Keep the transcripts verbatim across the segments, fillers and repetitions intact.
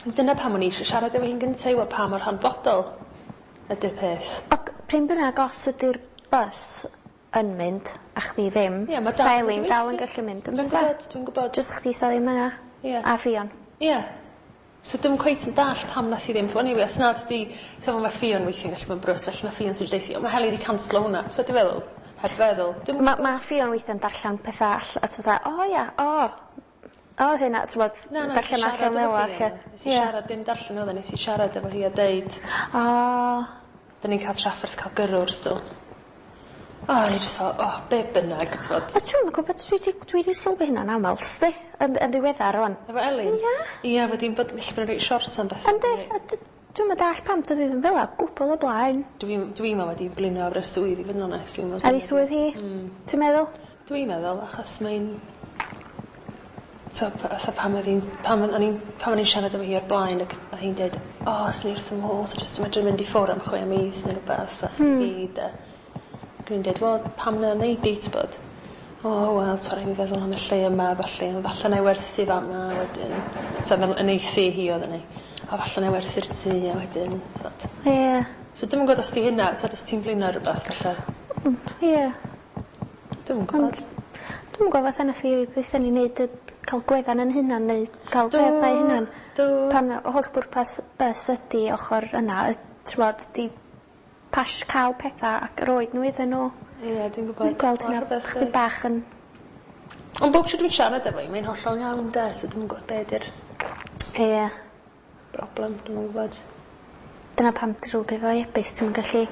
Dyna pam o'n i eisiau siarad efo hi'n gyntaf i weld pa mor hanfodol ydy'r peth. Ac pryn bynnag os ydy'r bus yn mynd a chdi ddim, Ie, ma' dal sa yn Elin mynd i dal yn weithio. gallu mynd yn Dwi'n bysa? gwybod, dwi'n gwybod. Jyst chdi sa ddim yna. Ie. A Ffion. Ie. So dwi'm cweit yn dallt pam nath hi ddim ffonio fi os nad 'di t'mo' ma' Ffion weithiau'n gallu bod yn brys felly ma' Ffion sy'n deutha o ma' Heli 'di canslo hwnna. T'mo' dwi feddwl? Heb feddwl. Dwi'm Ma' ma' Ffion weithiau'n darllen petha all- a ti fatha o ia o o hynna t'mod Na na nes i darllen siarad allan efo fel 'a Ffion. 'lly. Nes i siarad dim darllen o'dd e nes i siarad efo hi a deud O. 'Dyn ni'n ca'l trafferth ca'l gyrrwr so o o'n i jyst fel o be' bynnag t'mod. A dwi'm yn gwbod dwi 'di dwi 'di sylwi hynna'n amal sti yn yn ddiweddar rŵan. Efo Elin? Ia. Ia fod 'i'n bod gallu bod yn reit short am bethe. Yndi a d- dwi'm yn dallt pam do'dd 'i ddim fel 'a o gwbwl o blaen. Dwi'n dwi'n me'wl ma' 'di blino ar y swydd i fod yn onest dwi'n me'wl Ar 'i swydd hi? Hmm. Ti'n meddwl? Dwi'n meddwl achos mae'n t'o' p- fatha pan o'dd 'i'n pan o'n i'n pan o'n i'n siarad efo hi o'r blaen ac o'dd hi'n deud o swn i wrth fy modd jyst yn medru mynd i ffwr' am chwe mis ne' rwbeth a Hmm. fi de. Ac o'n i'n deud wel pam na neud di t'bod? O wel t'o' rai' mi feddwl am y lle yma a ballu on' falle 'nai werthu fama wedyn t'o' meddwl yn ei thŷ hi o'dd hynny. O falle 'nai werthu'r tŷ a wedyn t'od. Ie. So dwi'm yn gwod os 'di hynna t'od os ti'n flino ar rwbeth falle. Mm ie. Dwi'm yn gwbod. Ond dwi'm yn gwbo fatha nath hi ddeutha ni neud y ca'l gwefan 'yn hunan neu ca'l Do. peth ei hunan. Do. Pan y holl bwrpas bys ydi ochor yna yy t'mod 'di pash ca'l petha ac roid n'w iddyn n'w. Ie dwi'n gwbod. Dwi'n gweld Ma' hynna rhwbeth chydig yy bach yn Ond bob tro dwi'n siarad efo 'i mae'n hollol iawn 'de so dwi'm yn gwbo be' 'di'r Ie. broblem dwi'm yn gwbod. Dyna pam drwg efo e-byst ti'm yn gallu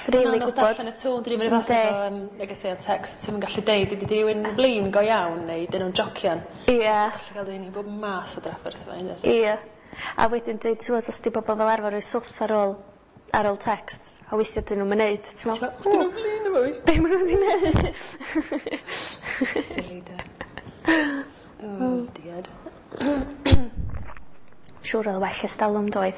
rili Ma'n anodd gwbod. darllen y tôn dydi? Ma'r un fath Yndi. efo yym negeseuon text ti'm yn gallu deud ydi rywun yn flin go iawn neu 'dyn nw'n jocian. Ie. Ti'n gallu ga'l dy hun i bob math o drafferth efo hynna. Ie. A wedyn deud t'wod os 'di bobol fel arfer roi sws ar ôl ar ôl text a weithia 'dyn nw'm yn neud ti me'wl Ti fel 'dyn nw'n flin efo fi? Be' ma' nw 'di neud? Silly 'de? Oh dear. Siŵr o'dd o well ers dalwm doedd?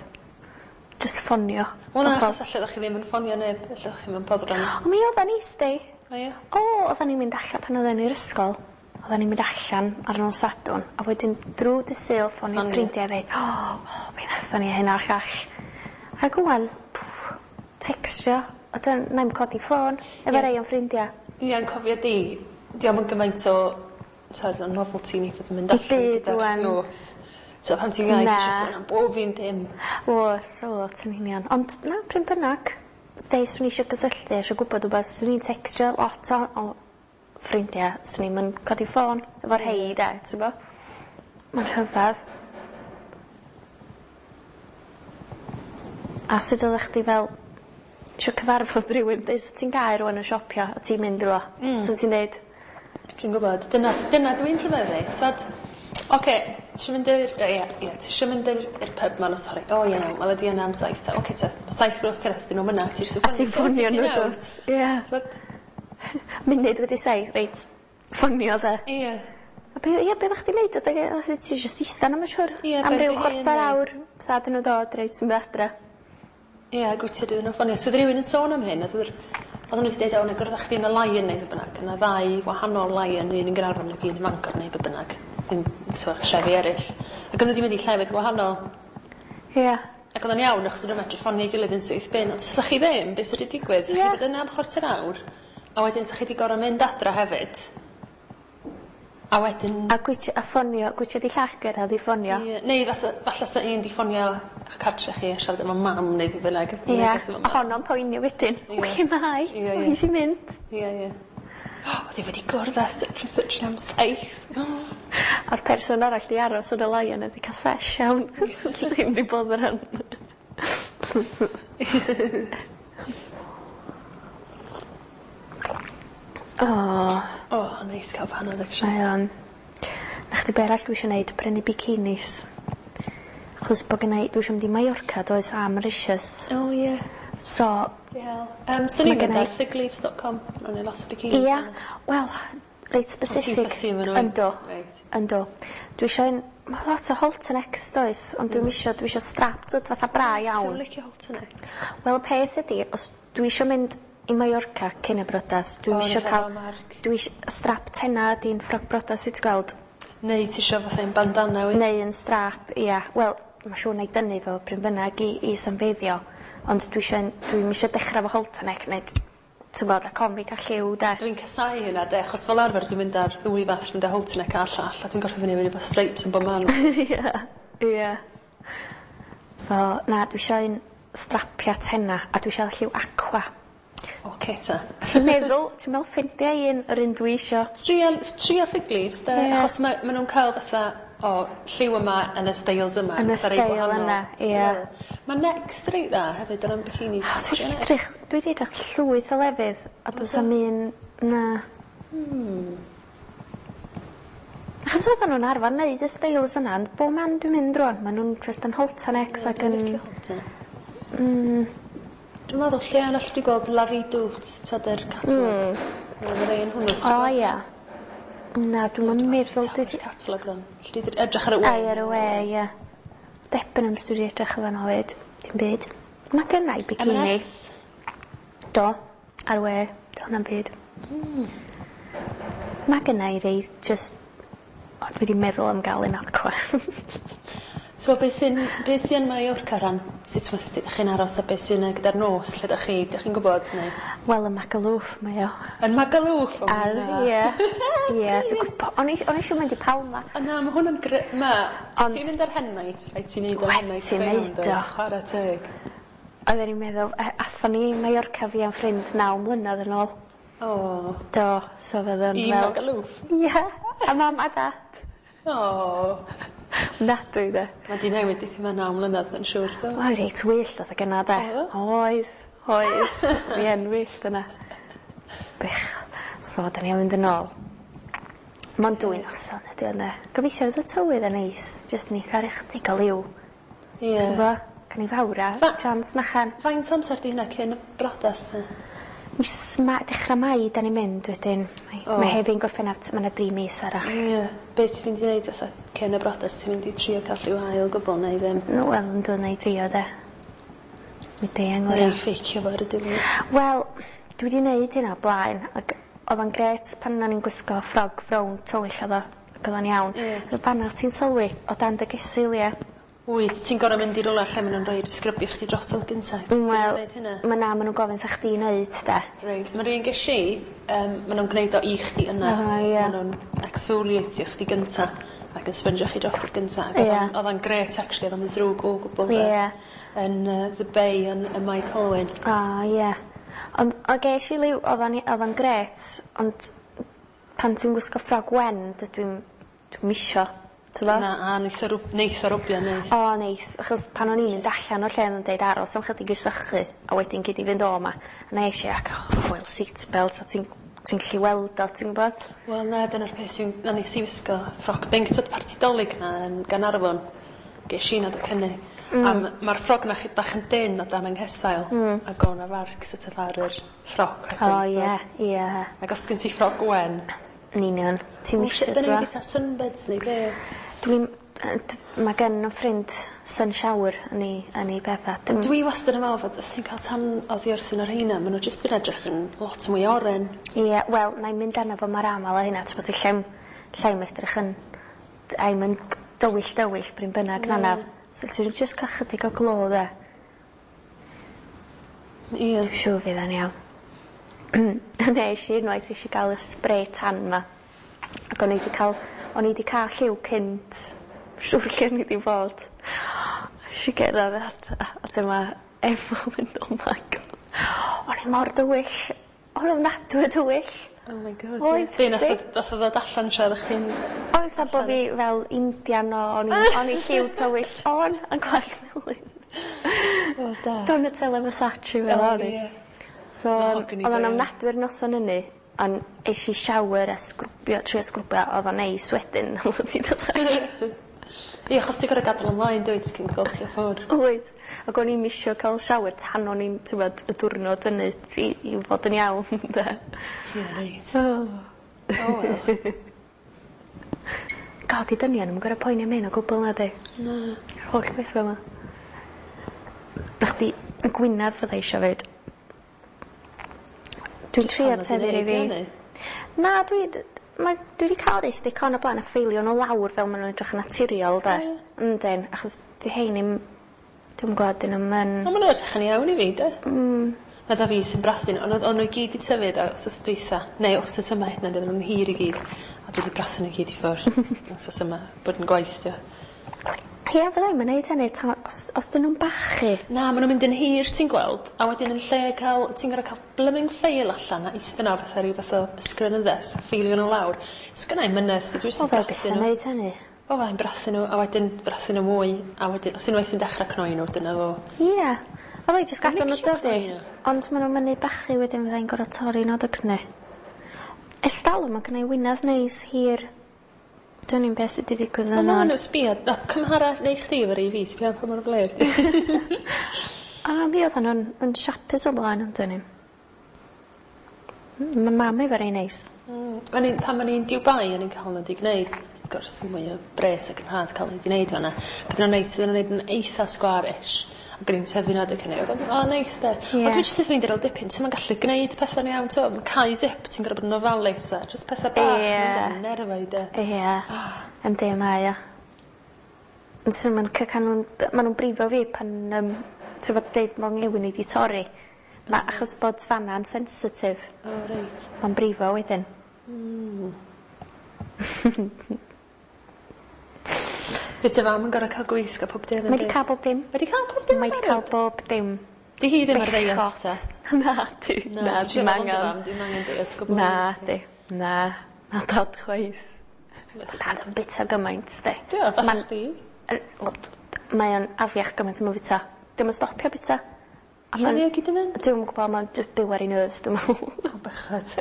Jyst ffonio Wel na pobol. achos alle ddech chi ddim yn ffonio neb ella o'ch chi'm yn boddran. O mi oddan ni sti. O ie? O oddan ni'n mynd allan pan odden ni'r ysgol. Oddan ni'n mynd allan ar nos Sadwrn a wedyn drw dy' Sul ffonio Ffonio. ffrindia a ddeud o o be' nathon ni hyn a'r llall. Ag ŵan tecstio a dyn nai'm codi ffôn efo Ie. rei o'n ffrindia. Ie yn cofio di dio'm yn gymaint o t'od o novelty ni fod yn mynd I allan byd gyda'r ŵan. nos. So pan ti'n iau ti Na. isio sôn am bob un dim. O's o yn union ond na pryn bynnag deu swn i isio gysylltu isio gwbod wbath swn i'n tecstio lot o o ffrindia swn i'm yn codi ffôn efo rhei de t'bo? Ma'n rhyfadd. A sut oddach chdi fel isio cyfarfod rywun deud sa ti'n gau rywun yn siopio a ti'n mynd iddo fo? Mm. Sut ti'n deud? Dwi'n gwbod dyna s- dyna dwi'n rhyfeddu t'od oce tisio mynd i'r yy ie ie tisio mynd i'r i'r pub 'ma nos fory o ie iawn wela di yna am saith te oce te ma' saith gloch cyrredd 'dyn nw'm yna ti jyst yn A ti'n ffonio n'w dwt? Ie. T'mod? Munud wedi saith reit ffonio 'de? Ie. A be' ie be' oddach chdi'n neud adeg yy oeddet ti jyst ista 'na ma' siŵr? Ie Am ben ryw dy hun chwarter neu... awr sa 'dyn n'w dod reit ti'n mynd adre. Ie ag wt ti iddyn nhw ffonio. So o'dd rywun yn sôn am hyn o'dd yr odden n'w 'di deud o nâi gwrdd â chdi yn y Lion neu be' bynnag. O' 'na ddau wahanol Lion un yn Gaernarfon ag un ym Mangor neu be' bynnag. Ddim t'mo' trefi eryll. Ac o'n nw 'di mynd i llefydd gwahanol. Ie. Ac o'dd o'n iawn achos o'n nw medru ffonio'i gilydd yn syth bin ond os 'ych chi ddim be' sy 'di digwydd? 'Sach Ie. chi bod yna am chwarter awr a wedyn 'sach chi 'di gor'o' mynd adra hefyd. A wedyn... A gwitsiad a ffonio gwitsiad i llall gyrradd i ffonio. Ie neu fasa falla sa un 'di ffonio 'ych cartre chi a siarad efo mam neu be' bynnag. Ie a honno'n poeni wedyn. Ie. Lle ma' 'i? Ie ie. Mae 'di mynd. Ie ie. O'dd 'i wedi gwrdd â such and such am saith. A'r person arall 'di aros yn y Lion a 'di ca'l sesh iawn. Ddim 'di boddran. O. O neis ca'l panad actually. Mae o'n. 'Na chdi be' arall dwi isio neud prynu bikinis. Achos bo' gynnai dwi isio mynd i Majorca does a Mauritius. O ie. So Di hel. Yym swn i'n Ma' mynd gennai ar figleaves dot com ma' 'na lot o bikinis Ia arno. wel reit specific. Ti'n fussy efo n'w wyt? Yndw. Reit. Yndw. Dwi isio un ma' lot o halter necks does ond dwi'm isio dwi isio strap t'wod fatha bra iawn. Ti'm licio halter neck? Wel y peth ydi os dwi isio mynd i Majorca cyn y brodas dwi'm O isio fatha ca'l fel mark. dwi ish- strap tena ydi'n ffrog brodas wyt ti gweld? Neu tisio fatha un bandana wyt? Neu yn strap ia wel ma' siŵr 'nai dynnu fo pryn bynnag i i symfeiddio ond dwi isio dwi'm isio dechra efo halter neck neu ti'n gwbod ac ofn fi ca'l lliw 'de? Dwi'n casau hynna 'de achos fel arfer dwi'n mynd ar ddwy fath dwi'n mynd â halter neck a'r llall a dwi'n gorffo fyny efo streips yn bob man. Ia ia. So na dwi isio un strapia tena a dwi isio lliw aqua. Oce ta. Ti'n meddwl ti'n me'wl ffindia un yr un dwi isio. Tria tria Figleaves 'de Ie. achos ma' ma' nw'n ca'l fatha o lliw yma yn y steils yma. Yn y fatha rei steil gwahanol. yna, ie. Ma' Next reit dda hefyd o ran bikinis. O dwi 'di edrych dwi 'di edrych llwyth o lefydd a do's 'am un na. Hmm. Achos oddan nw'n arfar neud y steils yna ond bob man dwi'n mynd rŵan ma' nw'n jyst yn halter necks ag yn Dwi'n licio halter. Mm. Dwi'n meddwl lle arall dwi gweld La Redoute t'od yr catalog. Mm. Ma' 'na rei yn hwnnw. O ia. Na dwi'm yn meddwl dwi 'di catalog rŵan. Alli di edrych ar y we. Ai ar y we ie. Debenhams dwi 'di edrych yn fan 'fyd. Dim byd. Ma' gynna i bikini. M and S. Do. Ar y we. Do hwnna'n byd. Hmm. Ma' gynna i rei jyst o dwi 'di meddwl am ga'l un aqua. So be' sy'n be' sy yn Mallorca ran sut westy 'dach chi'n aros a be' sy'n yy gyda'r nos lle 'dach chi 'dych chi'n gwbod neu? Wel ym Magaluf mae o. Yn Magaluf? O Ar na. ie ie dwi'n gwbo o'n i o'n i isio mynd i Palma. O na ma' hwn yn gre- ma' Ond ti'n mynd ar hen night rhaid ti neud o hen night Ti'n go iawn neud o. does? Chwara teg. Oedden ni'n meddwl yy athon ni i Mallorca fi a'n ffrind naw mlynadd yn ôl. O. Do so fydd o'n I fel Magaluf? Ie a mam a dad. O. Ofnadwy 'de? Ma' 'di newid dipyn mewn naw mlynadd ma'n siŵr do? Oedd reit wyllt adag yna 'de? Oedd? Oedd oedd. Fi yn wyllt yna. Bych. So 'dan ni am fynd yn ôl. Mond dwy noson ydi o ynde? Gobeithio fydd y tywydd yn neis jyst ni ca'l ychydig o liw. Ie. Ti'n gwbo? Gawn ni fawr a Fa- chance nachan. Faint amser 'di hynna cyn y brodas te? Mis Ma- dechra Mai 'dan ni'n mynd wedyn. Mae O. ma' Hefin Gorffennaf ma' 'na dri mis arall. Ie. Be' ti'n mynd i neud fatha cyn y brodas ti'n mynd i trio ca'l rhyw haul o gwbwl neu ddim? No wel yndw nai drio 'de. Mi dei angora. Neu ffeicio fo ar y diwedd. Wel dwi 'di neud hynna o blaen ag o'dd o'n grêt pan o'n i'n gwisgo ffrog frown tywyll o'dd o ac o'dd o'n iawn. Ie. Rwbath panad ti'n sylwi o dan dy gysilia. Wyt ti'n gor'o' mynd i rwla lle ma' nw'n roid sgrybio chdi drosodd gynta Wel neud hynna? ma' na ma' nw'n gofyn 'tha chdi neud 'de. Reit ma'r un gesh i yym ma' nw'n gneud o i chdi yna. O ie. Ma' nw'n exfoliatio chdi gynta ac yn spondio chi drosodd gynta ag o'dd o'n Ie. o'dd o'n grêt actually o'dd o'm yn ddrwg o gwbwl 'de. Ie. Yn yy The Bay yn ym Mae Colwyn. O ie. Ond o gesh i liw o'dd o'n i o'dd o'n grêt ond pan ti'n gwisgo ffrog wen dydw i'm dwi'm isio t'bo? Na a neith o rwb- neith o rwbio neith? O neith achos pan o'n i'n mynd allan o'r lle o'n nw'n deud aros am chydig i sychu a wedyn gei di fynd o 'ma. A nesh i ac o wel seat belt a ti'n ti'n gallu weld o ti'n gwbod? Wel na dyna'r peth dwi'n na nes i wisgo ffrog binc t'wod parti 'Dolig 'na yn Gaernarfon gesh i 'na docynne. Mm. A m- ma'r ffrog 'na chydig bach yn dyn o dan 'yng nghesail. Mm. Ag o' 'na farc so't of ar yr ffrog wedyn O so ie ie. Ag os gen ti ffrog wen Yn union ti'm isio 'Dyn t'bo'? ni 'di ta sunbeds neu be'? Dwi'n yy d- ma' gen 'yn ffrind sun shower yn 'i yn 'i petha dwi'm... Dwi wastad yn me'wl fod os ti'n ca'l tan oddi wrth un o'r rheina ma' n'w jyst yn edrych yn lot mwy oren. Ie wel 'nai mynd arno fo mor amal â hynna t'bod ellai'm llai'm edrych yn d- ai'm yn g- dywyll dywyll pry' bynnag na naf. So ti jyst ca'l chydig o glo 'de? Ie. Dwi siŵr fydd o'n iawn. Nesh i unwaith nesh i ga'l y spray tan 'ma ac o'n i 'di ca'l o'n i 'di ca'l lliw cynt siŵr lle o'n i 'di bod. Nesh i gerddad at a a dyma Efo mynd oh my God o'n i mor dywyll. O'n ofnadwy o dywyll. Oh my God. Oedd Be' nath o sti. nath o ddod allan tra oddach chdi'n Oedd 'tha bo' fi fel Indian o o'n i o'n i lliw tywyll on yn gwallt melyn. O da. Donatella Versace fel O o'n i. ie. So Mahogany o'dd o'n go iawn. ofnadwy'r noson ynny on' esh i shower a sgrwbio trio sgrwbio o'dd o'n neis wedyn wedi dod allan. Ie achos ti gor'o' gadal ymlaen dwyt cyn golchi o ffwr'. Wyt ag o'n i'm isio ca'l shower tan o'n i'n t'wbod y diwrnod hynny i i fod yn iawn ynde? Ie reit. O. O wel. God 'di dynion 'im yn gor'o' poeni am hyn o gwbwl nadi? Na. Yr holl betha 'ma. Na chdi y gwinadd fydda i isio 'fyd. Dwi'n trio tyfu rei fi. Na dwi d- mae, dwi wedi cael rei stick-on o blaen a ffeilio nhw lawr fel maen nhw'n edrych yn naturiol, de. O, ie. Yndyn, achos di hein i'm, dwi'n gwybod, dyn nhw'm yn. Ond maen nhw'n edrych yn iawn i fi, de. Mm. Mae fi sy'n brathu nhw, ond o'n nhw i gyd i tyfu da, wsos dwytha, neu wsos yma hyd yn oed, oedden nhw'n hir i gyd. A dwi wedi brathu nhw i gyd i ffwrdd wsos yma, bod yn gwaith, dio. Ie, fydda i'm yn neud hynny, ta, os, os dyn nhw'n bachu. Na, maen nhw'n mynd yn hir, ti'n gweld, a wedyn yn lle cael, ti'n gorfod cael blooming ffeil allan a eistedd yna fatha rhyw fath o ysgrifenyddes a ffeilio nhw lawr. Sgynna i'm mynedd, dwi jyst O, yn fel brathu byth yn nhw. neud hynny. O, fyddai'n brathu nhw, a wedyn brathu nhw mwy, a wedyn, os unwaith yn dechrau cnoi nhw, dyna fo. Ie. A fi jyst Dwi'n gadw nhw licio dyfu. cnoi nhw. Ond maen nhw'n mynnu bachu wedyn fyddai'n gorfod torri nhw dygnu. Ers talwm mae gennai winadd neis hir. Dwi'n i'n beth sydd wedi digwydd Wel, yna. na, nhw, sbia, na, cymhara neu chdi efo rei fi, sbia pa mor fler. di. A mi oedden nhw'n yn siapus o blaen, ond dyn ni. Mae mam efo rei neis. Mm, o'n i'n, pan o'n i'n Dubai, o'n i'n cael nhw wedi gwneud, wrth gwrs, mwy o bres ac yn rhad cael nhw wedi gwneud fan'na. Ac oedden nhw'n neis, oedden nhw'n gwneud yn eitha squarish. Ac o'n i'n tyfu nhw adeg hynny. Oedd o'n, o, neis de. Ie. Ond dwi jyst yn ffeindio ar ôl dipyn, ti'm yn gallu gwneud pethau'n iawn, t'o', ma' cau zip, ti'n gorfod bod yn ofalus a jyst pethau bach. Ie. Yn mynd nerfau de. Ie. Yndi, mae o. Ond swn i'm yn ca- nhw'n, ma' nhw'n brifo fi pan, um, ti'n fod deud mo ngewin i di torri. Ma, achos bod fanna'n sensitif, O, reit. mae'n brifo wedyn. Fydd dy fam yn gorfod cael gwisg a pob dim. Mae di cael bob dim. Mae di cael pob dim. Mae di cael bob dim. Di hi ddim ar ddiet Bechod. ta? Na, di. Na, dwi'n dim siarad am dy angen. fam, dim angen diet o gwbl. Na, di. Na. Na dad chwaith. Dad yn bita gymaint, di. Di o, fatha Ma'n- chdi. Yy, wel, Mae o'n afiach gymaint yn bita. Dim yn stopio bita. A Lle ma'n- fi o gyd yn mynd? Dwi'm yn gwybod, mae'n jyst byw ar ei nerves, dwi'n meddwl. O, bechod.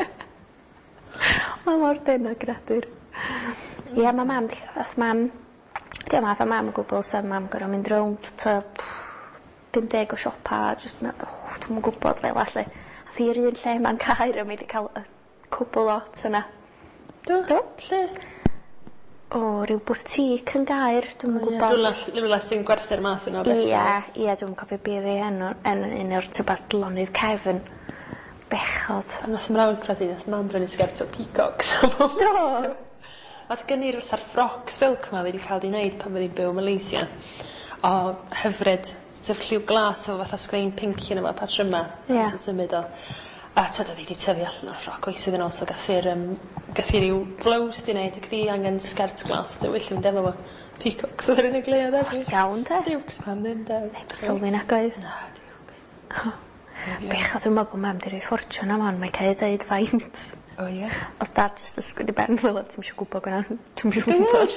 Mae mor dynn o greadur. Ie, mae mam, fath mam, di o'm fatha mam o gwbl, so mam gorfod mynd rownd ta pum deg o siopa, just, me- oh, dwi'm yn gwybod fel allu. A thi i'r un lle ma'n Caer a mae 'di cael y cwbl lot yna. Do? Do. Lle? O, ryw boutique yn Gaer, dwi'm yn gwybod. Rwla, rwla sy'n gwerthu'r math yna o beth. Ie, ie, dwi'm yn cofio be oedd ei enw, yn un o'r tybad lonydd cefn. Bechod. Pan nath mrawd prodi, nath mam brynu sgert o peacocks. Do? Nath gynnu fatha'r ffroc silk ma fi wedi cael di wneud pan fyddi'n byw yn Malaysia. O hyfryd, sef lliw glas efo fatha sglein pinc yn efo patryma. Ie. Sy'n symud o. A twyd, oedd hi wedi tyfu allan o'r ffroc oes iddyn nhw, so gath i'r, um, gath i ryw blouse di wneud, ac ddi angen sgert glas dywyll i fynd efo fo. Peacocks oedd yr unig le oedd efo. Iawn, te. Diwcs pam ddim, de. Heb sylwi nag oedd. Na, diwcs. Bechod, dwi'n meddwl bod mam 'di rhoi ffortiwn am hon, mae'n cael ei ddeud faint. O ie. Oedd dad jyst ysgwyd i ben fel, ti'm isio gwybod gwna, ti'm isio gwybod.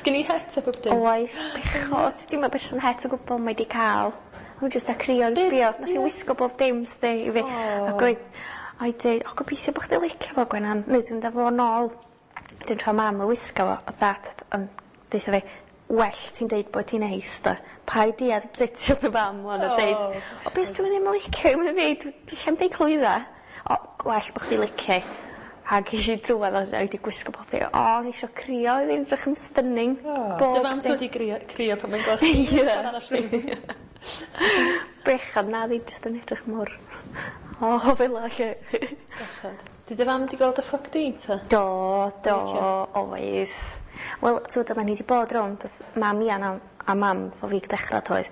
Sgyn i het a bob dim? Oes, bechod, dim yn berson het o gwbl mae di cael. O'n jyst a crio yn Be- sbio, nath i ie. wisgo bob dim sti i fi. O. Ac oedd, o'i deud, o gobeithio bo' chdi licio fo Gwenan, neu dwi'n dod fo nôl. Dwi'n tro mam yn wisgo fo, oedd dad yn deutha fi, well ti'n deud bod ti'n neis da. Paid di a upsetio dy fam wan a O. deud, o beth dwi'n ddim yn licio, mae'n fi, dwi llai'm deud clwydda. O, gwell bo' chdi licio. A ges i drwad o wedi gwisgo bob dim. O, o'n i isio crio, oedd hi'n edrych yn stunning. O, Bob dy fam dim. sy wedi grio, crio pan mae'n gweld chdi. Ie. Ffordd arall rownd. Bechod na, ddim jyst yn edrych mor... O, fel la, lle. Bechod. Di dy fam di gweld y ffroc di, ta? Do, do, Licio. oedd. Wel, ti'n gwybod, oedden ni wedi bod rownd, oedd mam Ian a, a mam fo fi dechrau toedd.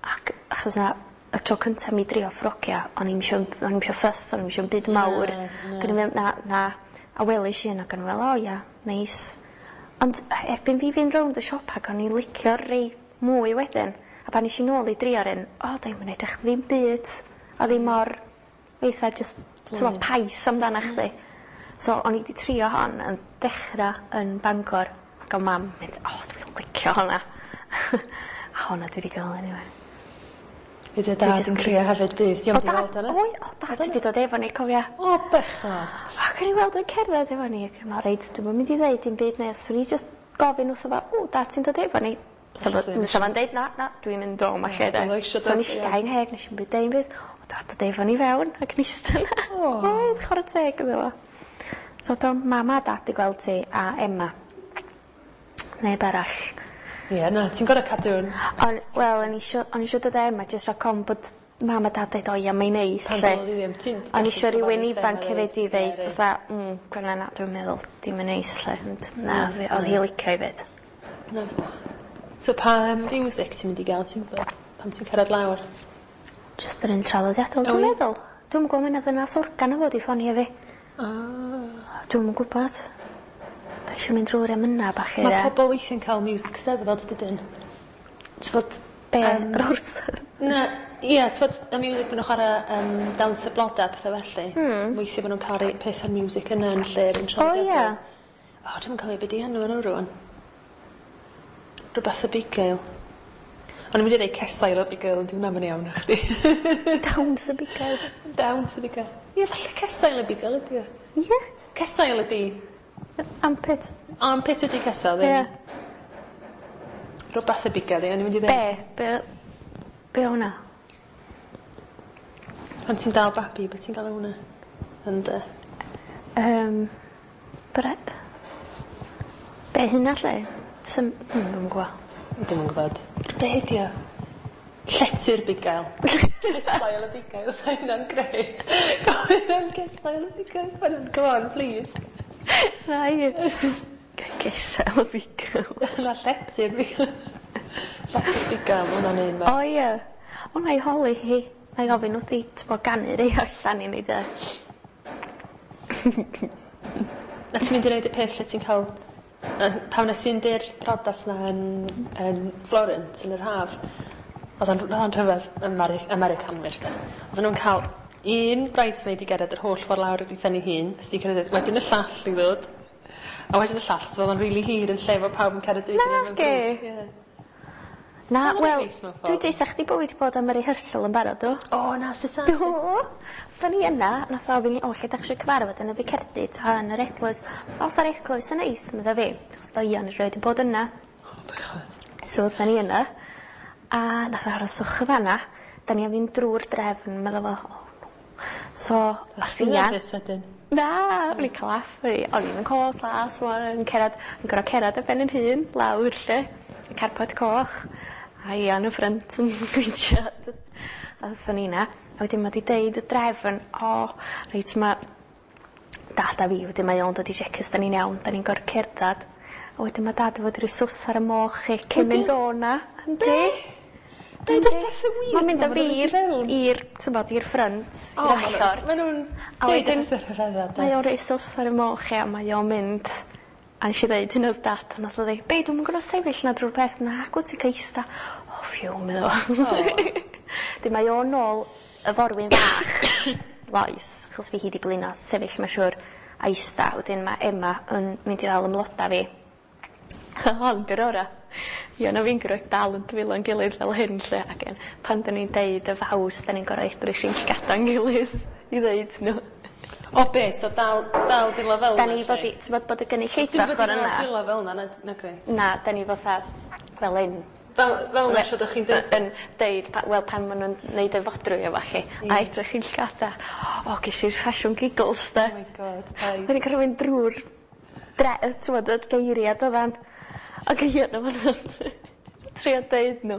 Ac achos na, y tro cyntaf mi drio ffrogia, o'n i'm isio, o'n i'm isio fuss, o'n i'm isio byd mawr. Na, na. Ac o'n i'n meddwl, na, na, a welis i un ac o'n i'n meddwl, o ia, neis. Ond erbyn fi fynd rownd y siop ac o'n i'n licio rei mwy wedyn. A pan nes i nôl i drio'r un, o, da i'n edrych ddim byd. O ddim mor, eitha just, ti'n mm. pais amdana chdi. So o'n i wedi trio hon yn dechrau yn Bangor. Ac o mam mynd, o, dwi'n licio honna. A honna dwi wedi gael anyway. Fydd dy dad jyst yn crio hefyd bydd. Diolch O di dad, weld hwnna. oedd, o dad wedi dod efo ni, cofia. O, bechod. Ac o'n i weld o'n cerdded efo ni, ac o'n i'n meddwl, reit, dwi'm yn mynd i ddeud dim byd neu, swn i just gofyn wrtho fo, o, dad ti'n dod efo ni? So Ella fo- sa fo'n deud, na, na, dwi'n mynd o ma lle de. Dwi'm isio So dod, nes i ie. gau ngheg, nes i'm byd deud byd, o, dad dod efo ni fewn, ac yn eistedd yna. O. Oedd, chwarae teg iddo fo. So do mam a dad di gweld ti, a Emma. Neb arall. Ie, na, ti'n gorfod cadw yn... Ond, wel, o'n i isio, o'n i isio dod â Emma, jyst rhag ofn bod mam a dad deud, o ia, mae'n neis. Pan lle. doedd hi ddim. Ti'n O'n i isio gallu rywun cyfarwydd lle ifanc ma' hefyd i reit, ddeud ie, reit. fatha, mm, Gwenna na, dwi'n meddwl dim yn neis lle. Ond na, fi- oedd hi licio i fyd. Na fo. So pa um, music ti'n mynd i gael, ti'n gwybod? Pam ti'n cyrraedd lawr? Just yr un traddodiadol, O, dwi'n ie? meddwl. Dwi'm yn gwybod mynd ddynas organ o fod i ffonio fi. Ah. Dwi'm yn gwybod. Da eisiau mynd drwy'r emyna bach i Mae dde. pobl weithiau'n cael music steddfod, dydyn? T'bod... Be? yym, Yr orsedd? Na, ie, t'bod, y music maen nhw'n chwarae um, dawns y blodau, pethau felly. Mm. Weithiau maen nhw'n cael rei pethau'r music yna yn lle'r un O, traddodiadol. ie. O, dwi'm yn cofio beth di enw nhw rŵan. Rhywbeth y bugail. O'n i'n mynd i ddeud cesail o bugail, ond dim hwnna'n iawn na chdi. Dawns y bugail. Dawns y bugail. Ie, falle cesail y bugail ydi o. Ie. Cesail ydi. Armpit. Armpit ydi cesail, ddim. Ie. Rhywbeth y bugail, ie, o'n i'n mynd i Be? ddeud. Be? Be o hwnna? Pan ti'n dal babi, beth ti'n gael o hwnna? Ond, uh, Um, bre... Be hynna lle? Sym... Hmm, dwi'm yn gwybod. Dwi'm yn gwybod. Be ydi o? Llety'r bugail. Cesail y bugail, sa hynna'n grêt. Gofyn am cesail y bugail. Come on, come on, please. Na i. Gesail y bugail. Na llety'r bugail. Llety'r bugail, ma' hwnna'n un O ie. O na i holi hi. Na i gofyn wrth i t'bo ganu rei allan i ni de. Na ti'n mynd i neud y peth lle ti'n cael... yy, Pan nes i fynd i'r briodas na yn, yn Florence yn yr haf, oedd o'n oedd o'n rhyfedd Ameri Americanwyr de. Oedden nhw'n cael un bridesmaid i gerdded yr holl ffordd lawr i phen ei hun, ys di cerdded wedyn y llall i ddod, a wedyn y llall, so oedd o'n rili hir yn lle fo pawb yn cerdded i gilydd mewn Nage. grŵp. Ie. Na, Ma'n wel, neis mewn ffordd. dwi deutha chdi bo' fi 'di bod am y rehearsal yn barod, do? O na, sut ta? Do! Oedden ni yna, nath o ofyn i, o, lle dach chi isio cyfarfod yn y Ficerdy, ta yn yr eglwys. O, sa'r eglwys yn neis, medda fi. Achos do Ian erioed 'di bod yna. O, bechod. So oedden ni yna, a nath o aroswch yn fan'na. Da ni am fynd drwy'r drefn, medda fo, oh no. So, ath Chi'n Ian... nerfus wedyn? Na, o'n i'n cael laff, o'n i- o'n i'n cos las, o'n i'n cerdded, o'n i'n gor'o' cerdded ar ben 'yn hun, lawr lle, y carpet coch, a Ian yn ffrynt yn gweithio. A ddothon ni 'na, a wedyn ma' 'di deud y drefn, o, reit ma' dad a fi, wedyn mae o'n dod i checio os 'dan ni'n iawn, 'dan ni'n gor'o' cerddad. A wedyn ma' dad fod rhoi sws ar y moch i cyn mynd o 'na. Yndi. Be 'di'r pethe weird Ma'n mynd 'ma â ma' fi nhw'n i'r rhoid i fewn? i'r t'mod i'r ffrynt, O, i'r ma' nhw- allor. Ma' nhw'n A deud y wedyn pethe rhyfedda, de. Mae o'n rhoi sws ar y moch ia, mae o'n mynd a nesh i ddeud hyn wrth dad a nath o ddeud, be dwi'm yn gor'o' sefyll 'na drwy'r peth, nag wt ti'n ca'l ista. O ffîw medda fo. 'Dyn mae o nôl y forwyn fach Lois, achos fi hi 'di blino sefyll ma' siŵr a ista, wedyn ma' Emma yn mynd i ddal 'ym mloda fi. Hon 'di'r ora. Ian a fi'n gor'o' dal 'yn dwylo'n gilydd fel hyn 'lly ac yn pan 'dan ni'n deud y faws 'dan ni'n gor'o' edrych i'n llgada'n gilydd i ddeud nhw. O be, so dal, dal dwylo fel 'Dan ni fod i t'mod bod y gynulleidfa ochor yna. Dwylo fel 'na, na, na gweit. Na, 'dan ni fatha fel 'yn. Fel, fel 'na siwr 'dych chi'n deud. Yn deud pa- wel pan ma' nw'n neud y fodrwy a ballu a edrych i'n llgada. O gesh i'r ffasiwn giggles 'de. Oh my god, paid. 'Dan ni'n gor'o' mynd drw'r dre- yy t'mod y geiria dydan. Ac Ian yn fan 'na trio deud nhw.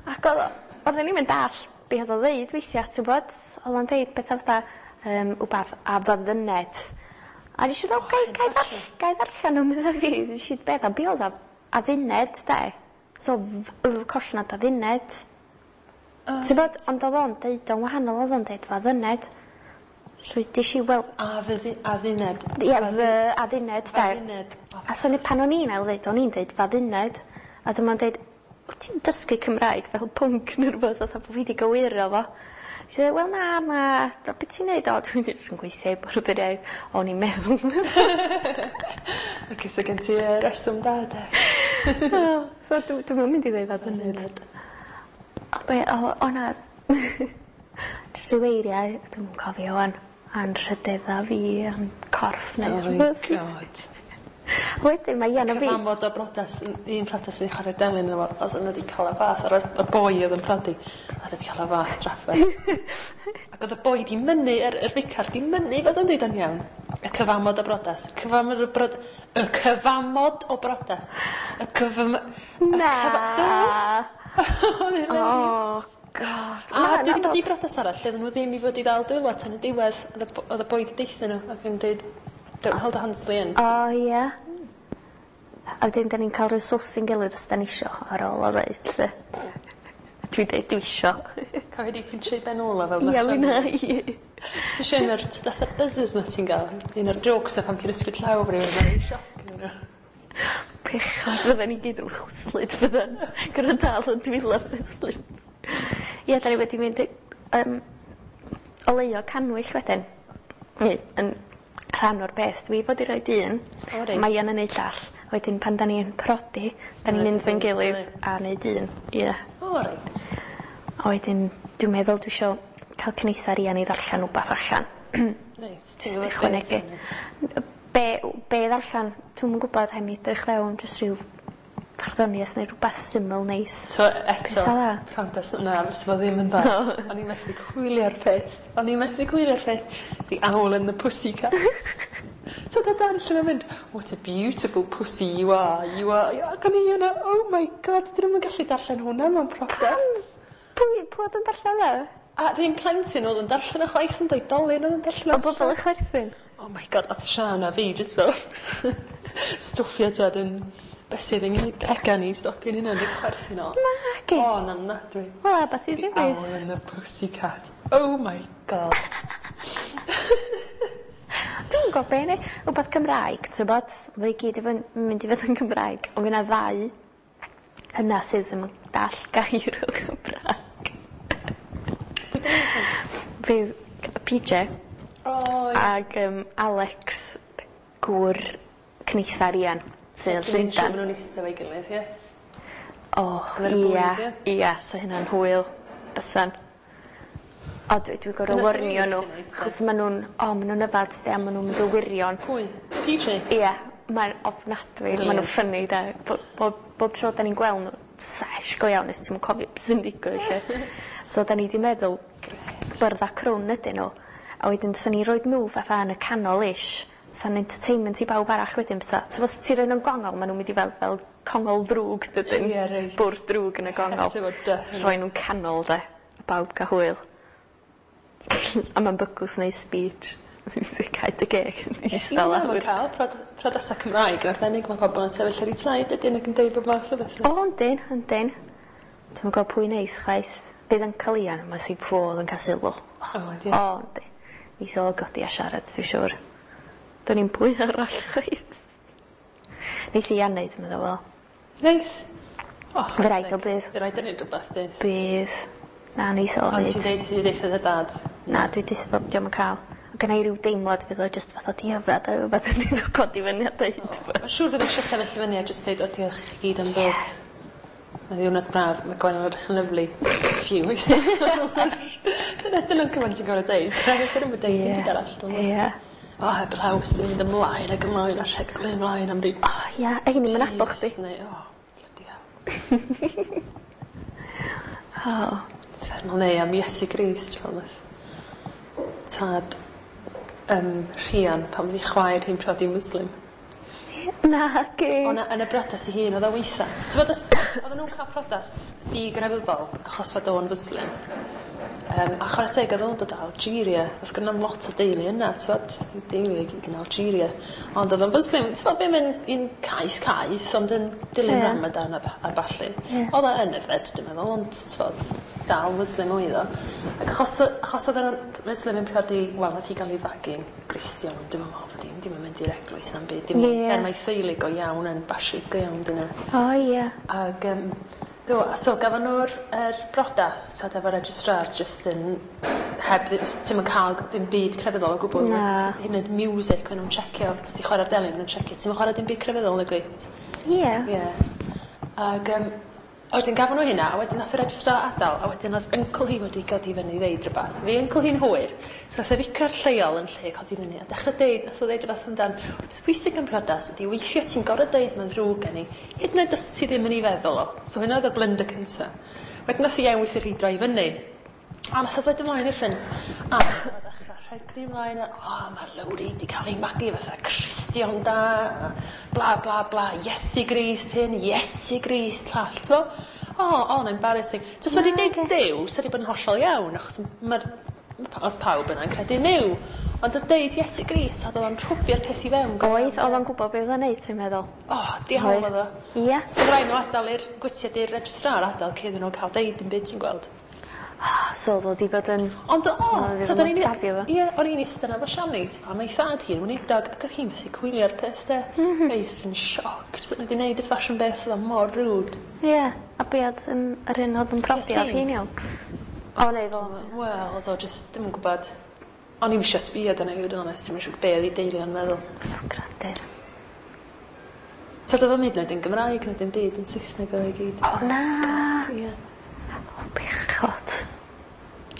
Ac o'dd o oedden ni'm yn dallt be' o'dd o ddeud weithia' t'wbod? O'dd o'n deud petha fatha yym wbath a fyddyned. A nesh i feddwl gai gai ddarll- gai ddarllen nhw medda fi nesh i meddwl be' o'dd o adduned de? So f- y collnod adduned. T'bod? Ond o'dd o'n deud o'n wahanol o'dd o'n deud faddyned. So udish i wel A fyddi, adduned. Ie, fy adduned de. Adduned. A so ni pan o'n i'n ail ddeud, o'n i'n deud fadduned. A dyma'n deud, wyt ti'n dysgu Cymraeg fel pwnc neu rwbeth fatha bo' fi 'di gywiro fo. She said, wel na, ma, be' ti'n neud? O, dwi'n jyst yn gweithio i bwrdd yr iaith. O'n i'n meddwl. Ac so gen ti yy reswm da de. So dw- dwi'm yn mynd i ddeud fadduned. O be' o o na. Jyst ryw eiriau, dwi'm yn cofio ŵan. Anrhydedda fi a'n corff neu Oh my rwbeth. god. Wedyn mae Ian a fi... Cyfamod o brodas, un priodas sy'n chwarae delyn yno fo, oedd yna wedi cael y fath, ar y boi oedd yn prodi, oedd wedi cael y fath drafferth. Ac oedd y boi di mynnu, yr, yr ficar di mynnu fod yn deud o'n iawn. Y cyfamod o brodas. Cyfamod o brod... Y cyfamod o brodas. Y cyfam... Na. Y cyfa- Do! O, God. A dwi wedi bod i brodas arall lle oedden nhw ddim i fod i ddal dwylo tan y diwedd. Oedd y bo- oedd y boi 'di deutha nhw ac yn dweud, "Don't hold hands till the end." O, ie. A wedyn, da ni'n cael rhyw sws i'n gilydd os da ni isio ar ôl o ddeud, lle. Dwi'n deud dwi isio. Cofio di pincho i ben ôl o fel Ie, mi na i. Ti eisiau un o'r fatha'r buzzers na ti'n gael? Un o'r jokes na pan ti'n ysgwyd llaw rhywun yn sioc yn nhw. Bechod, fydden ni gyd yn chwyslyd fydden. Gyda dal yn dwylo chwyslyd. Ie, da ni wedi mynd i um, oleuo canwyll wedyn. Neu, yn rhan o'r beth. Dwi fod i roid un. O, reit. Mae yn neud llall. Wedyn pan da ni'n prodi, da ni'n mynd fo'n gilydd a neud un. Ie. O, reit. A wedyn, dwi'n meddwl dwi isio cael cyneithar Ian i ddarllen wbath allan. Reit. Ti'n Jyst gwybod ychwanegu. Be, be ddarllen, dwi'm yn gwybod, heb mi edrych fewn, jyst rhyw farddoniaeth neu rhywbeth syml neis. So eto, Beth dda? Priodas na, fysa fo ddim yn dda. O'n i'n methu gwylio'r peth. O'n i'n methu gwylio'r peth. The Owl and the Pussycat. So da dan lle mae'n mynd, "What a beautiful pussy you are, you are." Ac o'n i yna, "Oh my God, dyn nhw'n gallu darllen hwnna mewn priodas." Pwy, pwy oedd yn darllen fe? A ddim plentyn oedd yn darllen y chwaith, yn oedolyn oedd yn darllen O bobl yn chwerthin? Oh my God, oedd Sian a fi jyst fel stwffio tyd yn bysydd yng nghegan i stopio'n hynna yn chwerthin o. Nagi. O, na, na, dwi. Wel, beth i The ddewis. Owl and the Pussycat. Oh my God. Dwi'n gwybod be neu. Rhywbeth Cymraeg, ti'n bod? Fe i gyd i fod- mynd i fod yn Gymraeg. Ond fyna ddau yna sydd ddim yn dall gair o Gymraeg. Pwy dyn ni'n sôn? Fydd P J O, ie. ag um, Alex, gŵr cyneithar Ian, sydd yn Ti'n siŵr Llundain. maen nhw'n eistedd efo'i gilydd, ie? O, Gyfer y ia, bwyd, ie? ia, so hynna'n hwyl. Bysan. O, dwi, dwi'n gorfod Dyna swn i'n warnio nhw. licio neud, de. Achos maen nhw'n, o, maen nhw'n yfad, de, a maen nhw'n mynd yn wirion. Pwy? P J? Ie, mae'n ofnadwy. Maen nhw'n funny, de. Bob, bob, bob tro da ni'n gweld nhw, sesh go iawn, nes ti'n cofio beth sy'n digwydd, lle. So, da ni di meddwl, byrdda crwn ydyn nhw. A wedyn, sa'n ni roed nhw fatha yn y canol ish. Sa'n entertainment i bawb arall wedyn, bysa. Ti'n os ti'n rhoi nhw'n gongol, maen nhw'n mynd i fel, fel congol ddrwg, dydyn. Ie, reit. Bwrdd drwg yn y gongol. Het efo dust. Rhoi nhw'n canol, de. A bawb cael hwyl. A mae'n bygwth neu speech. Cau dy geg. Ista Ie, lawr. mae'n cael prod- priodas Cymraeg yn arbennig, mae pobl yn sefyll ar eu traed ydyn ac yn deud bob math o bethau. O, yndyn, yndyn. Dwi'm yn gwybod pwy neis chwaith. Bydd yn cael Ian, mae sy'n ffodd yn cael sylw. O, ydi. O, yndi. Neith o godi a siarad, dwi'n siŵr. Do'n i'n pwy arall chwaith. Neith Ian neud, dwi'n meddwl, wel. Neith. O, Fy raid o bydd. Fy raid o neud rhywbeth, bydd. Bydd. Na, neith o Ond neud. ti'n deud ti'n deud dy dad? Na, dwi disgwyl bod dio'm yn cael. O gynna i ryw deimlad fydd o jyst fatha di yfed a rhywbeth yn iddo codi fyny a deud. Mae'n siŵr fydd eisiau sefyll i fyny a jyst deud, "O, diolch i chi gyd am ddod. Mae ddiwrnod braf, mae Gwen yn edrych yn lyfli. Phew." Dyna dyna'n cymaint ti'n gorfod deud. Dyn nhw'n deud dim byd arall, dwi'n meddwl. Ie. O, heb law sydd yn mynd ymlaen ac ymlaen a rheglu ymlaen am ryw O, ia, a hyn i'm yn nabod chdi. Neu, o, bloody hell. O. Uffernol, neu am Iesu Grist, fel nath tad um, Rhian pan oedd ei chwaer hi'n priodi Muslim. Na, ge. O na, yn y briodas ei hun, oedd o weitha. Ti'n bod, os- oedden nhw'n cael priodas digrefyddol achos fod o'n Muslim. Um, a chwarae teg, oedd o'n dod o Algeria. Oedd gynno lot o deulu yna, ti'n bod, deulu i gyd yn Algeria. Ond oedd o'n Muslim, ti'n bod, ddim yn un caeth caeth, ond yn dilyn Ie. Ramadan a, a ballu. Ie. Oedd o yn yfed, dwi'n meddwl, ond ti'n bod, dal Muslim oedd o. Ac achos, achos oedd o'n Muslim yn priodi, wel, nath hi gael ei fagu'n Gristion, ond dwi'n meddwl fod hi'n dim yn mynd i'r eglwys na'm byd. Dim Ie. er mae theulu go iawn yn bashis go iawn, dyna. O, ie. Ag, um, do, so gafon nhw'r er brodas, tod, efo registrar, just yn, heb, ddim- ti'm yn cael dim byd crefyddol o gwbl. Na. Hyd yn oed music, maen nhw'n checio, os ti'n chwarae'r delyn, maen nhw'n checio. Ti'm yn chwarae dim byd crefyddol, nag wyt? Ie. Ie. Ag, um, wedyn gafon nhw hynna, a wedyn nath y registrar adael, a wedyn oedd uncle hi wedi godi fyny i ddeud rhywbeth. Fi uncle hi'n hwyr, so nath y ficar lleol yn lle codi fyny, a dechrau deud, nath o ddeud rhywbeth amdan, "Peth pwysig yn priodas ydi weithio ti'n gorfod deud mae'n ddrwg gen i, hyd yn oed os ti ddim yn ei feddwl o." So hynna oedd y blunder cynta. Wedyn nath i ewis i'r hi droi fyny. A nath o ddod ymlaen i'r ffrynt. A nath o ddechrau rheglu ymlaen. A, "O, mae Lowri di cael ei magu fatha Cristion da. A bla, bla, bla. Iesu Grist hyn, Iesu Grist llall," t'mo? O, oh, oh, embarrassing. Tasa wedi deud Duw, sa wedi bod yn hollol iawn, achos mae'r oedd pawb yna'n credu Nuw. Ond oedd deud Iesu Grist, oedd o'n rhwbio'r peth i fewn. Oedd, oedd o'n gwybod beth oedd o'n neud, ti'n meddwl? O, oh, diawl oedd o. Ie. So rhaid nhw adael i'r gwytiad i'r registrar adael cyn nhw cael deud dim byd ti'n gweld. Oh, so oedd o 'di bod yn... Ond o, so o'n i'n... Ie, o'n i'n eistedd yna efo Siani, ti'n gwbod, mae ei thad hi'n weinidog, ac oedd hi'n methu coelio'r peth de. Mm -hmm. Eis yn sioc, sut wedi wneud y ffasiwn beth, oedd o mor rude. Ie, yeah, a be oedd yn, yr un oedd yn prodi oedd hi'n iawn? O, neu fo. Wel, oedd o just, dim yn gwybod. O'n i'm eisiau sbio dyna i fod yn onest, dim yn siŵr be oedd ei deulu o'n meddwl. Gradur. So doedd o'm hyd yn oed yn Gymraeg, na dim byd yn Saesneg oedd o i gyd. O na! God, ie. O, bechod.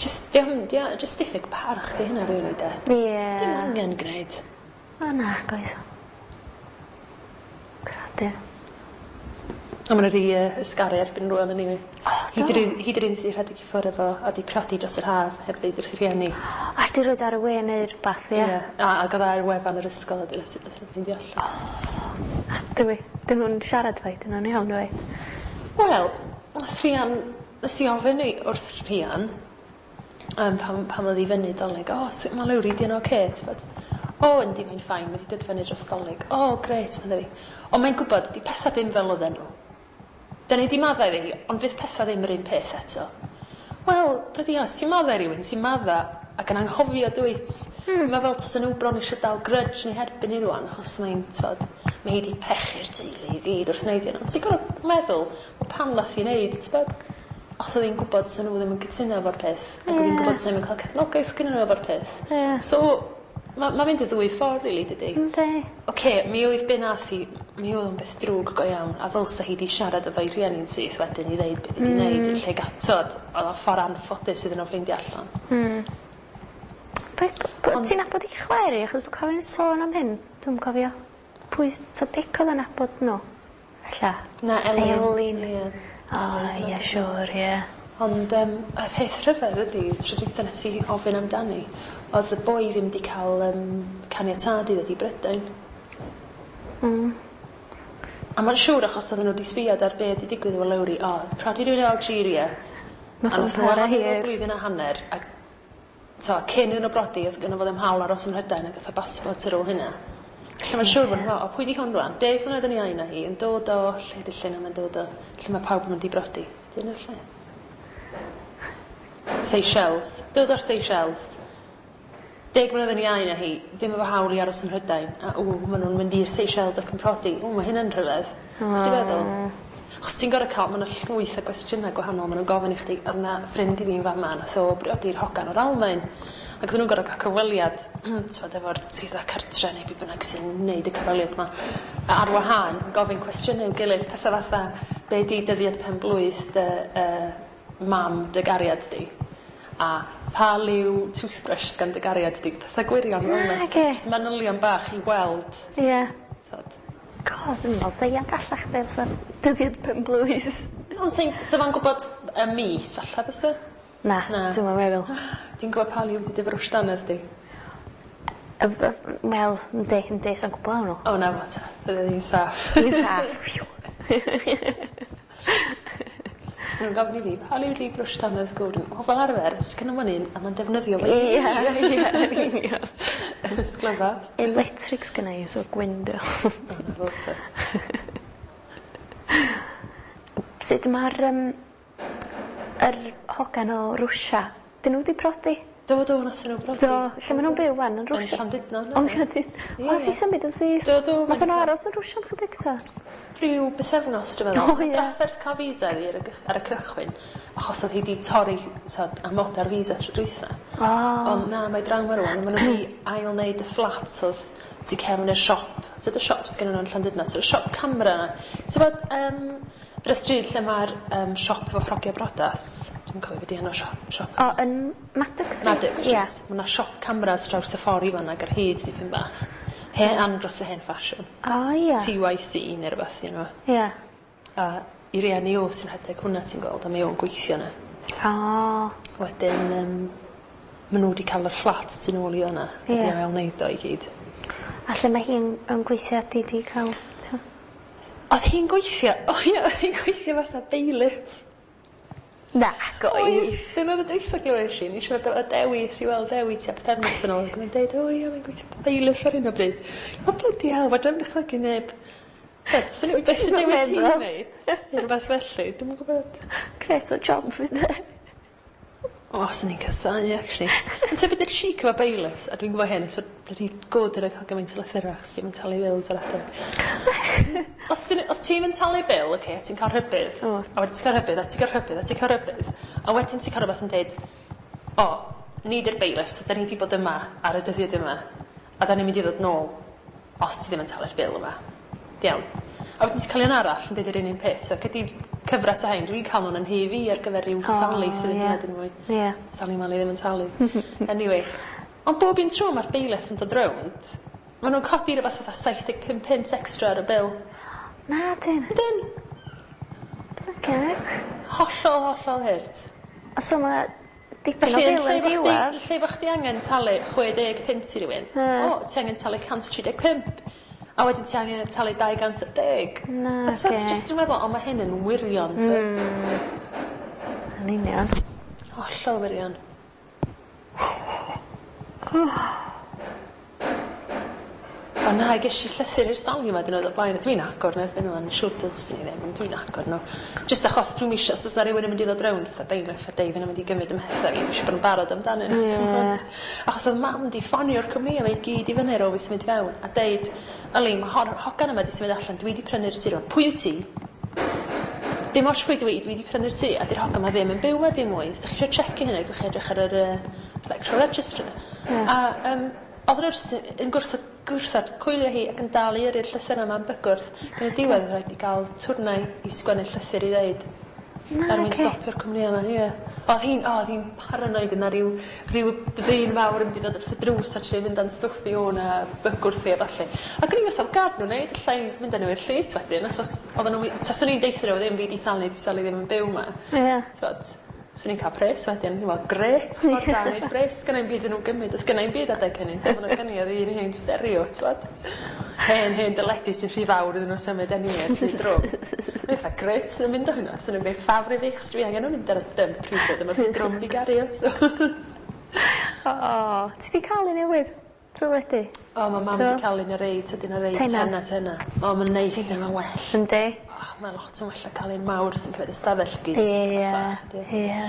Just, diom, diom, just diffyg parch di hynna rili de. Ie. Dim angen gwneud. O na, goedd. Gradur. A ma' nhw wedi uh, ysgaru erbyn rŵan anyway. O, do? Hi 'di'r un sydd rhedeg i ffwrdd efo a 'di priodi dros yr haf heb ddeud wrth ei rhieni. A 'di roid ar y we neu rwbath, ie? Ie, a ac oedd ar wefan yr ysgol a dyna sut nath nhw ffeindio allan. O, a dwi, dyn nhw'n siarad fo, dyn nhw'n iawn dwi. Wel, nath Rhian, nes i ofyn i wrth Rhian, um, pam, pam oedd i fyny Dolig, o, sut mae Lowri, di yn ocê, t'bod? O, yndi, mae'n fine, mae 'di dod fyny dros Dolig. O, grêt, medda fi. Ond mae'n gwybod, di pethau ddim fel oedden nhw. Da ni 'di maddau iddi hi, ond fydd pethau ddim yr un peth eto. Wel, blydi hell, os ti'n maddau rywun, ti'n maddau ac yn anghofio dwyt. Mm. Mae fel tasen nhw bron eisiau dal grudge neu herbyn hi rwan, achos mae'n, t'wod, mae hi 'di pechu'r teulu i gyd wrth wneud hyn. Ond ti'n gorfod meddwl, wel pam nath hi wneud, t'bod? Achos oedd hi'n gwybod 'sa nhw ddim yn cytuno efo'r peth, ac oedd hi'n gwybod 'sa ddim yn cael cefnogaeth gyda nhw efo'r peth. Ie. So, mae ma mynd y ddwy ffordd, really, dydy? Yndi. Oce, mi oedd be nath hi, mi oedd o'n beth drwg go iawn, a ddylsa hi 'di siarad efo'i rhieni'n syth wedyn i ddeud beth i 'di wneud yn lle gatod, oedd o'n ffordd anffodus iddyn nhw ffeindio allan. Mm. Be, b- ti'n nabod i chwaer hi? Achos dwi'n cofio sôn am hyn. Dwi'n cofio. Pwy, ta Dic oedd yn nabod nhw? Ella. Na, Elin. Elin. Ie. O, ie, siŵr, ie. Ond um, y peth rhyfedd ydy, tro dwytha nes i ofyn amdani, oedd y boi ddim wedi cael um, caniatâd i ddod i Brydain. Mm. A mae'n siŵr achos oedden nhw wedi sbiad ar be wedi digwydd efo Lowri, o, prodi rhywun o Algeria. Nath A nhw'n nath nhw para ohonyn nhw hir. blwyddyn a hanner, a to, cyn iddyn nhw brodi, oedd gynno fo ddim hawl aros ym Mhrydain ac oedd y basbort ar ôl hynna. Felly mae'n siŵr fod nhw, o, pwy di hwn rwan? Deg mlynedd yn iau na hi, yn dod o, lle di lle na mae'n dod o, lle mae pawb yn mynd i brodi. Dyna'r lle. Seychelles. Dod o'r Seychelles. Deg mlynedd yn iau na hi, ddim efo hawl i aros ym Mhrydain. A ww, maen nhw'n mynd i'r Seychelles ac yn prodi. Ww, mae hynna'n rhyfedd. Ti'n di feddwl? Achos ti'n gorfod cael, mae yna llwyth o gwestiynau gwahanol maen nhw'n gofyn i chdi. Oedd yna ffrind i fi'n fama, nath o briodi'r hogan o'r Almaen. Ac oedden nhw'n gorfod cael cyfweliad, t'wod, efo'r swyddfa cartre neu be bynnag sy'n neud y cyfweliad yma. A ar wahân, yn gofyn cwestiynau i'w gilydd, pethau fatha, be di dyddiad pen blwydd dy uh, mam dy gariad di? A pa liw toothbrush sgan dy gariad di? Pethau gwirion fel yna. Nage. Jyst manylion bach i weld. Ie. T'wod. God, dwi'n meddwl, sa i'n gallach be fysa dyddiad pen blwydd. Ond sa'n sa fo'n gwybod y mis falle bysa? Na, Na. dwi'm yn meddwl. Ti'n gwybod pa liw di dy frwsh dannedd di? Y- y- Wel, yndi, yndi, sa'n gwybod hwnnw. O na fo ta, bydde hi'n saff. Dwi'n saff. Phew. Sy'n gofyn i fi, pa liw di brwsh dannedd Gordon? O, fel arfer, sgynno fo'n un, a mae'n defnyddio fo i Ie, ie, yn union. Ysglyfa. Electric sgynna i, so gwyn dio. O, na fo ta. Sut mae'r um, yr hogan o Rwsia? Dyn nhw wedi prodi? Do, do, nath nhw brodi. Do, lle maen nhw'n byw wan yn Yn Rwsia? Llandudno. Ond Llandudno. Ie, O, nath i ie. symud yn syth. Do, do. Nath nhw aros yn Rwsia am chydig ta? Rhyw bythefnos, dwi'n meddwl. O, ie. Drafferth cael visa iddi ar y, gych- ar y cychwyn, achos oedd hi wedi torri t'od, amoda'r visa tro dwytha. O. Ond na, mae draw ma rwan, maen nhw wedi ail wneud y fflat oedd tu cefn y siop. So, y siop sgennyn nhw yn Llandudno, so y siop camera yna. Ti'n bod, um, yr y stryd lle mae'r um, siop efo ffrogiau brodas, dwi'n cofio beth di enw siop. siop. O, yn Maddox Street? Maddox Street. Ie. Mae yna siop cameras draws y ffordd i fan'na ag ar hyd dipyn bach. Hen andros o hen ffasiwn. O, ie. T Y C neu rhywbeth, you know. Ie. A i rieni o sy'n rhedeg hwnna ti'n gweld, a mae o'n gweithio yna. O. Wedyn, um, maen nhw wedi cael yr fflat tu nôl i fan'na. Ie. Wedi ail wneud o i gyd. A lle mae hi'n yn gweithio di di cael... t'o'? O'dd hi'n gweithio, o ie, o'dd hi'n gweithio fatha bailiff. Nac oedd. Dyna o'dd y dweutha glywes i, o'n i siarad efo Dewi, es i weld Dewi tua pythefnos yn ôl ac o'dd e'n deud o ie mae'n gweithio fatha bailiff ar hyn o bryd. O bloody hell, fedrai'm dychmygu neb t'od, swn i byth yn dewis hi neud rhywbeth felly, dwi'm yn gwbod. Grêt o job fydd e. O, swn i'n casáu actually. Ond so beth yw'r chic efo bailiffs, a dwi'n gwybod hyn, so bloody good yn cael gymaint o lythyrau achos dwi'm yn talu bills ar adeg. Os ti'n os ti'm yn talu bil, ocê, a ti'n cael rhybudd, O. a wedyn ti'n cael rhybudd, a ti'n cael rhybudd, a ti'n cael rhybudd, a wedyn ti'n cael rhywbeth yn deud, o, ni 'di'r bailiffs, a da ni 'di bod yma ar y dyddiad yma, a da ni'n mynd i ddod nôl os ti ddim yn talu'r bil yma. Iawn. A wedyn ti'n cael un arall yn deud yr un un peth, so gei di cyfres o hein, dwi'n cael nhw'n yn nhŷ fi ar gyfer rhyw O, Sally sydd yn ie. hynod yn mwy. Ie. Sally Mally ddim yn talu. Anyway, ond bob un tro mae'r bailiff yn dod rownd, maen nhw'n codi rhywbeth fatha saith deg pump punt extra ar y bil. Na, dyn. Ydyn. Blyceg. Hollol, hollol hurt. So mae dipyn o Felly, yn bil lle yn fo chdi, diwedd. lle fo chdi angen talu chwe deg punt i rywun, Ie. o, ti angen talu cant tri deg pump. A wedyn ti angen talu dau gant a deg. Na, A t'mod, ti oce. jyst yn meddwl, o, mae hyn yn wirion, t'mod. Mm. Yn union. Hollol wirion. O na, ges i llythyr i'r Sally yma dyn nhw o'r blaen, a dwi'n agor nhw erbyn ŵan, siŵr dylswn i ddim, ond dwi'n agor nhw. Jyst achos dwi'm isio, os oes 'na rywun yn mynd i ddod rownd fatha bailiff a deud fydd nhw'n mynd i gymryd 'y mhethau fi, dwi isio bod yn barod amdanyn nhw, Ie. ti'n gwbod? Achos oedd mam 'di ffonio'r cwmni yma i gyd i fyny ar ôl fi symud fewn, a deud, yli, mae hon, hogan yma 'di symud allan, dwi 'di prynu'r tŷ rŵan. Pwy wyt ti? Dim ots pwy dwi, dwi 'di prynu'r tŷ, a 'di'r hogan yma ddim yn byw 'ma dim mwy. Os 'dach chi isio checio hynny, gewch chi edrych ar yr uh, electoral register. Ie. A um, oedden nhw jyst yn gwrthod, gwrthod coelio hi ac yn dal i yrru'r llythyr yma yn bygwrth. Yn y diwedd oedd rhaid i gael twrnai i sgwennu llythyr i ddeud Na, er mwyn oce. stopio'r cwmni yma, ie. Oedd hi'n, o, oedd hi'n paranoid yna rhyw, rhyw ddyn fawr yn mynd i ddod wrth y drws a trio mynd â'n stwff i o na bygwrth i a ballu. Ac o'n i'n fatha, gad nhw wneud, alla i mynd â nhw i'r llys wedyn, achos oedden nhw, taswn i'n deutha nhw ddim fi 'di Sally, 'di Sally ddim yn byw 'ma. Ie. T'wod, swn i'n cael pres wedyn, ni'n meddwl, grêt, ffordd da i neud pres, gynna i'm byd iddyn nhw gymryd, oedd gynna i'm byd adeg hynny, dim ond oedd gynna i oedd un hen stereo, t'wod. Hen, hen deledu sy'n rhy fawr iddyn nhw symud anyway, rhy drwm. O'n i fatha, grêt, sy'n mynd â hwnna, sy'n gwneud ffafr i fi, achos dwi angen nhw mynd ar y dump rhywbryd, a mae'n rhy drwm fi gario. So. O, ti 'di cael un newydd? Teledu? O, mae mam Do. wedi cael un ar rei, tydyn ar rei, Tena. tena, tena. O, mae'n neis, ne, mae'n well. Yndi. O, mae lot yn well na cael un mawr sy'n cymryd ystafell gyd. Ie, ie.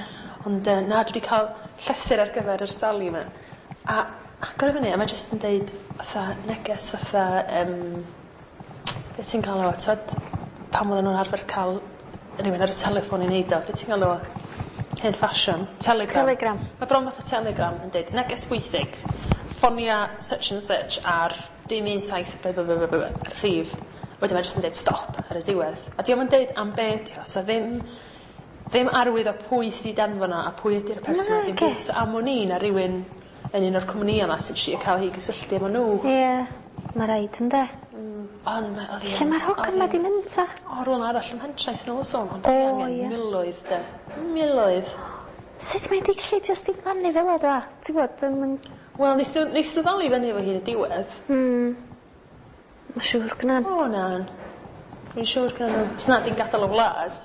Ond uh, na, dwi wedi cael llythyr ar gyfer yr Sally yma. A agor i fyny, a mae jyst yn deud fatha neges fatha, um, beth ti'n cael o, t'wod, pam oedden nhw'n arfer cael rhywun ar y telefon i neud o, beth ti'n cael o? Hen ffasiwn. Telegram. Telegram. Mae bron fatha telegram yn deud, neges bwysig, ffonia such and such ar dim un saith by by by by by rhif. Wedyn mae jyst yn deud stop ar y diwedd. A dio'm yn deud am be ydi o, so ddim, ddim arwydd o pwy sydd wedi danfon o a pwy ydy'r person Na, dim oce. byd. So am wn i na rywun yn un o'r cwmnïau yma sy'n trio cael hi gysylltu efo nhw. Ie. Mae rhaid ynde. Ond mae oedd hi Lle yn- mae'r hogan oedd ma hi'n- di mynd ta? O, rhywle arall ym Mhentraeth yn ôl sôn, ond O, oedd hi angen ie. miloedd de. Miloedd. Sut mae'n di gallu jyst i blannu fel o dwa? Ti'n gwybod, dwi'm yn... Wel, wnaethon nhw, wnaethon nhw ddal i fyny efo hi yn y diwedd. Hmm. Mae'n siŵr gynna. O, na. Dwi'n siŵr gyda nhw. Os na, di'n gadael y wlad.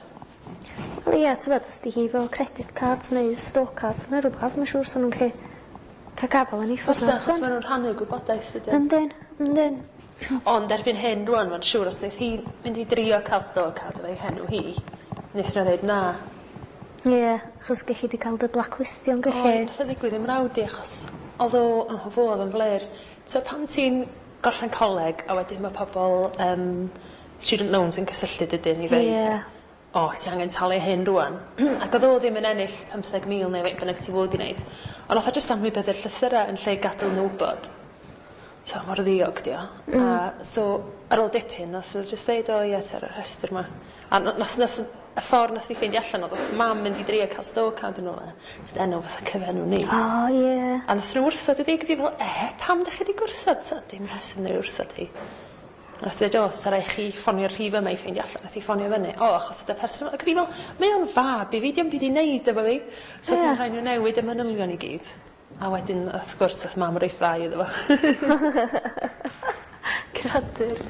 Wel ie, ti'n gwybod, os di hi efo credit cards neu store cards neu rhywbeth, mae'n siŵr sa'n nhw'n gallu cael gafel yn ei ffordd. Fysa, achos maen nhw'n rhannu gwybodaeth ydyn. Yndyn, yndyn. Ond erbyn hyn, rwan, mae'n siŵr os wnaeth hi mynd i drio cael store card efo'i henw hi, wnaeth nhw dweud na. Ie, achos gallu di cael dy blacklistio'n O, gallu. nath o ddigwydd i'm mrawd i, achos oedd o, o fo oedd yn fler. So pan ti'n gorffen coleg, a wedyn mae pobl um, student loans yn cysylltu dydyn i ddeud, Ie. o, ti angen talu hyn rwan. Ac oedd o ddim yn ennill pymtheg mil neu faint bynnag ti fod i wneud. Ond nath o jyst anwybyddu'r llythyrau yn lle gadael nhw wybod. So, mor ddiog di o. Mm. A so, ar ôl dipyn, nath o jyst ddeud, o ie, ti ar y rhestr yma. A na- nath, nath, y ffordd nath i ffeindio allan oedd oedd mam mynd i drio cael store card yn ôl e. Sydd enw fatha cyfenw ni. O, ie. A nath nhw wrthod y ddig fi fel, e, pam dych chi wedi gwrthod? So, dim rheswm neu wrthod hi. A nath dweud, o, sa rai chi ffonio'r rhif yma i ffeindio allan. Nath hi ffonio fyny. O, achos oedd y person... Ac oedd hi fel, mae o'n fab i fi, dio'm byd i wneud efo fi. So Ie. yeah. rhaid nhw newid y manylion i gyd. A wedyn, wrth gwrs, nath mam roi ffrae iddo fo. Creadur.